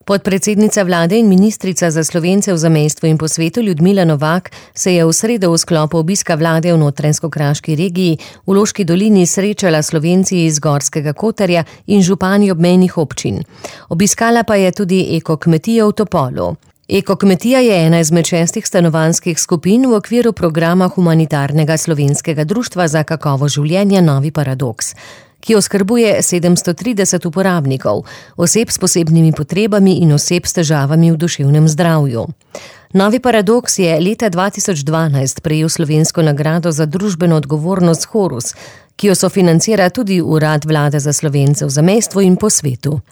Podpredsednica vlade in ministrica za Slovence v zamejstvu in po svetu Ljudmila Novak se je v sredo v sklopu obiska vlade v Notranjsko-kraški regiji v Loški dolini srečala Slovenci iz Gorskega Kotarja in župani obmejnih občin. Obiskala pa je tudi ekokmetijo v Topolu. Ekokmetija je ena izmed 6 stanovanjskih skupin v okviru programa humanitarnega slovenskega društva za kakovost življenja Novi Paradoks, ki oskrbuje 730 uporabnikov, oseb s posebnimi potrebami in oseb s težavami v duševnem zdravju. Novi Paradoks je leta 2012 prejel slovensko nagrado za družbeno odgovornost Horus, ki jo sofinancira tudi Urad vlade za Slovence v zamejstvu in po svetu.